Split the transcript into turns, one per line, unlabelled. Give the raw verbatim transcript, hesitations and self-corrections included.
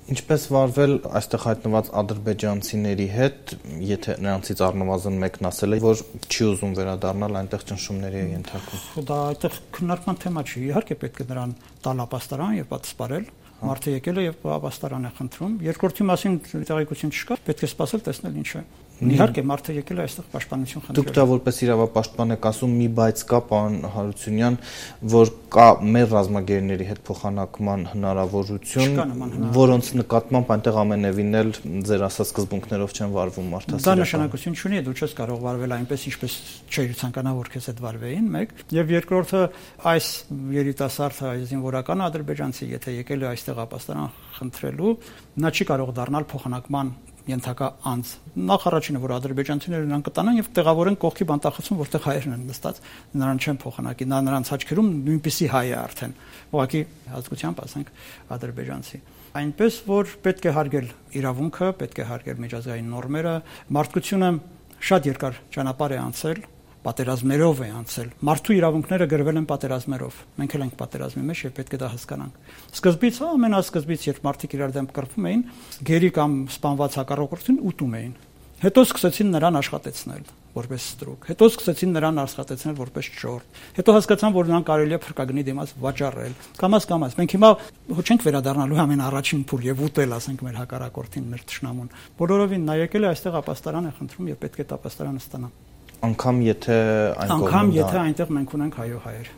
Ինչպես վարվել այստեղ հայտնված ադրբեջանցիների հետ, եթե նրանցից առնվազն մեկն ասել է, որ չի ուզում վերադառնալ, այնտեղ ճնշումների է ենթարկվում։
Դա այդտեղ քննարկման թեմա չի, իհարկե պետք է նրան տալ ապաստարան եւ պատասպարել։ Մարդը եկել է եւ ապաստարան է խնդրում։ Երկրորդի մասին տեղեկություն չկա, պետք է սպասել տեսնել ինչ է։ Իհարկե մարդը եկել է այստեղ պաշտպանություն խնդրել։
Դուք դա որպես իրավապաշտպան եք ասում, մի բայց կա, պարոն Հարությունյան, որ կա մեր ռազմագերիների հետ փոխանակման հնարավորություն, որոնց նկատմամբ այնտեղ ամենևին էլ ձեր ասած սկզբունքներով չեն վարվում մարդասիրական։
Դա նշանակություն չունի, դու չես կարող վարվել այնպես, ինչպես չէր ցանկանա որ քեզ հետ վարվեին, մեկ, եւ երկրորդը այս երիտասարդ զինվորական ադրբեջանցի, եթե եկել է այստեղ ապաստարան խնդրելու, նա չի կարող դառնալ փոխանակման ենթակա անձ։ Նախ առաջինը, որ ադրբեջանցիները նրան կտանան եւ տեղավորեն կողքի բանտախցում, որտեղ հայերն են նստած, նրան չեն փոխանակի, նա նրանց աչքերում նույնպիսի հայ է արդեն, ուղղակի ազգությամբ ասենք ադրբեջանցի։ Այնպես որ պետք է հարգել իրավունքը, պետք է հարգել միջազգային նորմերը, մարդկությունը շատ երկար ճանապարհ է անցել, պատերազմներով է անցել։ Մարդու իրավունքները գրվել են պատերազմներով։ Մենք էլ ենք պատերազմի մեջ եւ պետք է դա հասկանանք։ Սկզբից, ամենասկզբից, երբ մարդիկ իրար դեմ կռվում էին, գերի կամ սպանված հակառակորդին ուտում էին։ Հետո սկսեցին նրան աշխատեցնել որպես ստրուկ։ Հետո սկսեցին նրան աշխատեցնել որպես ճորտ։ Հետո հասկացան, որ նրան կարելի է փրկագնի դիմաց վաճառել։ Կամաց կամաց մենք հիմա չենք վերադառնալու ամեն առաջին փուլ եւ ուտել, ասենք, մեր հակառակորդին, մեր թշնամուն։ Բոլորովին նա եկել է այստեղ ապաստարան է խնդրում եւ պետք է ապաստարանը ստանա։
Անկամ եթե այն
Անկամ եթե այնտեղ մենք ունենք հայո հայեր։